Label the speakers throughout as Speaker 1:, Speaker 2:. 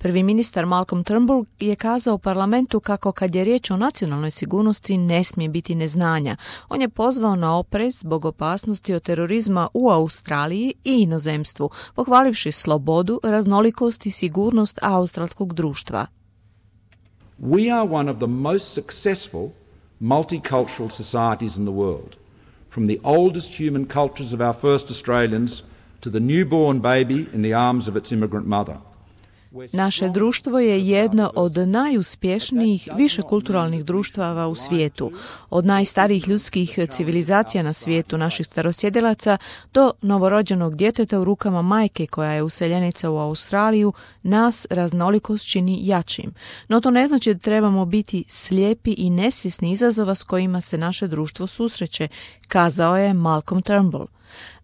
Speaker 1: Prvi ministar Malcolm Turnbull je kazao u parlamentu kako kad je riječ o nacionalnoj sigurnosti ne smije biti neznanja. On je pozvao na oprez zbog opasnosti od terorizma u Australiji i inozemstvu, pohvalivši slobodu, raznolikost i sigurnost australskog društva.
Speaker 2: We are one of the most successful multicultural societies in the world. From the oldest human cultures of our first Australians to the newborn baby in the arms of its immigrant mother.
Speaker 1: Naše društvo je jedno od najuspješnijih višekulturalnih društava u svijetu, od najstarijih ljudskih civilizacija na svijetu naših starosjedilaca do novorođenog djeteta u rukama majke koja je useljenica u Australiju, nas raznolikost čini jačim. No to ne znači da trebamo biti slijepi i nesvjesni izazova s kojima se naše društvo susreće, kazao je Malcolm Turnbull.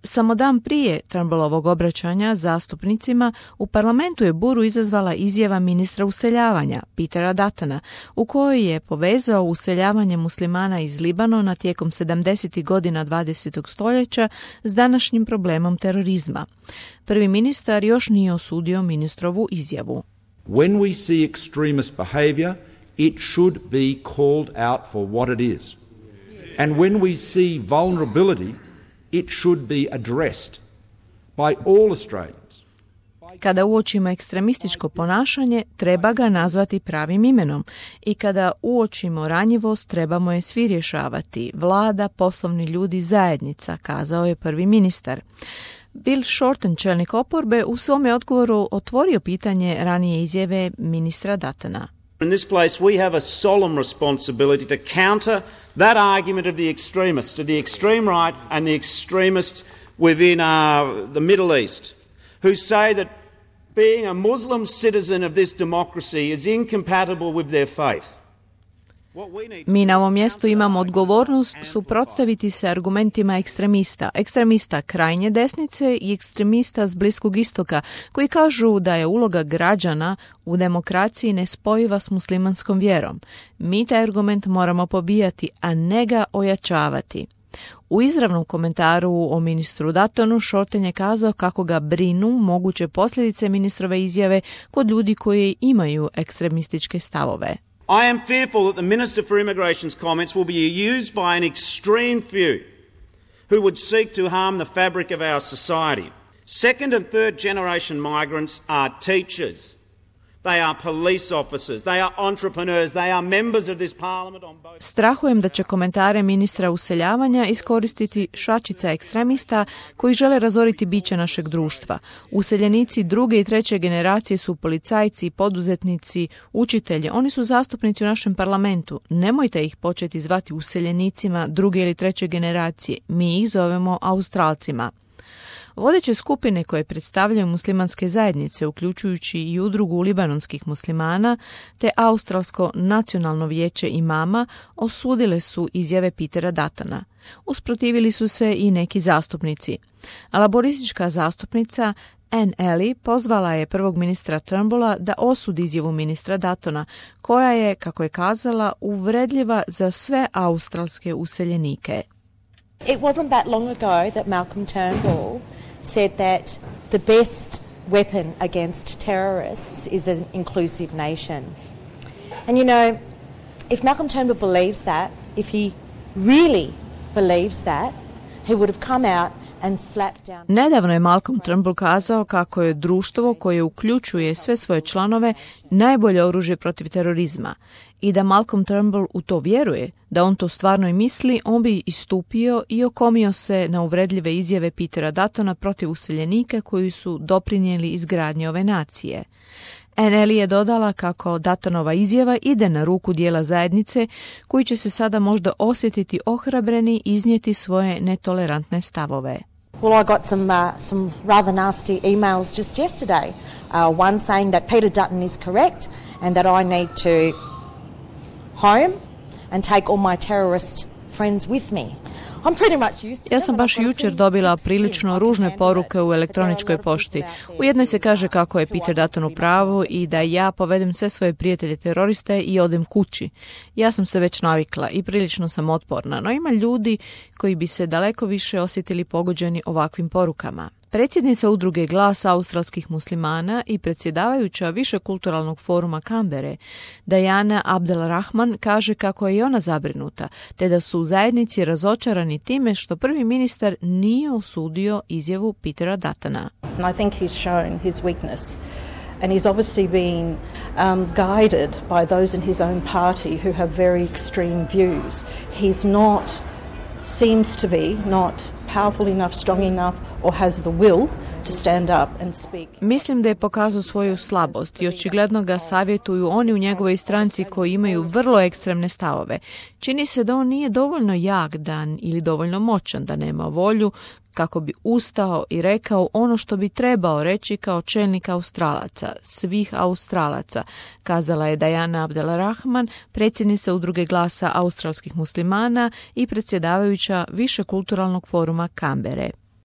Speaker 1: Samo dan prije Turnbullovog obraćanja zastupnicima u parlamentu je buru izazvala izjava ministra useljavanja Petera Duttona, u kojoj je povezao useljavanje muslimana iz Libanona tijekom 70. godina 20. stoljeća s današnjim problemom terorizma. Prvi ministar još nije osudio ministrovu izjavu.
Speaker 2: When we see extremist behavior, it should be called out for what it is. And when we see vulnerability, it should be addressed by all Australians.
Speaker 1: Kada uočimo ekstremističko ponašanje, treba ga nazvati pravim imenom i kada uočimo ranjivost, trebamo je svi rješavati, vlada, poslovni ljudi, zajednica, kazao je prvi ministar. Bill Shorten, čelnik oporbe, u svome odgovoru otvorio pitanje ranije izjave ministra Duttona.
Speaker 3: In this place we have a solemn responsibility to counter that argument of the extremists, of the extreme right and the extremists within the Middle East, who say that being a Muslim citizen of this democracy is incompatible with their faith.
Speaker 1: Mi na ovom mjestu imamo odgovornost suprotstaviti se argumentima ekstremista krajnje desnice i ekstremista s Bliskog istoka, koji kažu da je uloga građana u demokraciji nespojiva s muslimanskom vjerom. Mi taj argument moramo pobijati, a ne ga ojačavati. U izravnom komentaru o ministru Duttonu, Shorten je kazao kako ga brinu moguće posljedice ministrove izjave kod ljudi koji imaju ekstremističke stavove.
Speaker 3: I am fearful that the Minister for Immigration's comments will be used by an extreme few who would seek to harm the fabric of our society. Second and third generation migrants are teachers. They are police officers. They are entrepreneurs. They are members of this parliament on both.
Speaker 1: Strahujem da će komentare ministra useljavanja iskoristiti šačica ekstremista koji žele razoriti biće našeg društva. Useljenici druge i treće generacije su policajci, poduzetnici, učitelji. Oni su zastupnici u našem parlamentu. Nemojte ih početi zvati useljenicima druge ili treće generacije. Mi ih zovemo Australcima. Vodeće skupine koje predstavljaju muslimanske zajednice, uključujući i udrugu libanonskih muslimana, te Australsko nacionalno vijeće imama, osudile su izjave Petera Duttona. Usprotivili su se i neki zastupnici. A laboristička zastupnica Anne Alley pozvala je prvog ministra Turnbulla da osudi izjavu ministra Duttona, koja je, kako je kazala, uvredljiva za sve australske useljenike.
Speaker 4: It wasn't that long ago that Malcolm Turnbull said that the best weapon against terrorists is an inclusive nation. And you know, if Malcolm Turnbull believes that, if he really believes that, he would have come out and slapped down.
Speaker 1: Nedavno je Malcolm Turnbull kazao kako je društvo koje uključuje sve svoje članove najbolje oružje protiv terorizma i da Malcolm Turnbull u to vjeruje, da on to stvarno i misli, on bi istupio i okomio se na uvredljive izjave Petera Duttona protiv useljenika koji su doprinijeli izgradnji ove nacije. Anneli je dodala kako Duttonova izjava ide na ruku dijela zajednice koji će se sada možda osjetiti ohrabreni iznijeti svoje netolerantne stavove.
Speaker 4: Well, I got some rather nasty emails just yesterday. One saying that Peter Dutton is correct and that I need to home and take all my terrorist friends with me.
Speaker 1: Ja sam baš jučer dobila prilično ružne poruke u elektroničkoj pošti. U jednoj se kaže kako je Peter Dutton u pravu i da ja povedem sve svoje prijatelje teroriste i odem kući. Ja sam se već navikla i prilično sam otporna, no ima ljudi koji bi se daleko više osjetili pogođeni ovakvim porukama. Predsjednica udruge Glas australskih muslimana i predsjedavajuća Višekulturalnog foruma Kambere, Diana Abdelrahman, kaže kako je i ona zabrinuta, te da su u zajednici razočarani time što prvi ministar nije osudio izjavu Petera Duttona.
Speaker 5: I think he's shown his weakness. And he's obviously been guided by those in his own party who have very extreme views. He's not, seems to be, not powerful enough, strong enough, or has the will to stand up and speak.
Speaker 1: Mislim da je pokazao svoju slabost i očigledno ga savjetuju oni u njegovoj stranci koji imaju vrlo ekstremne stavove. Čini se da on nije dovoljno jak dan ili dovoljno moćan, da nema volju kako bi ustao i rekao ono što bi trebao reći kao čelnik Australaca, svih Australaca, kazala je Diana Abdelrahman, predsjednica udruge Glasa australskih muslimana i predsjedavajuća Višekulturalnog foruma Kambere.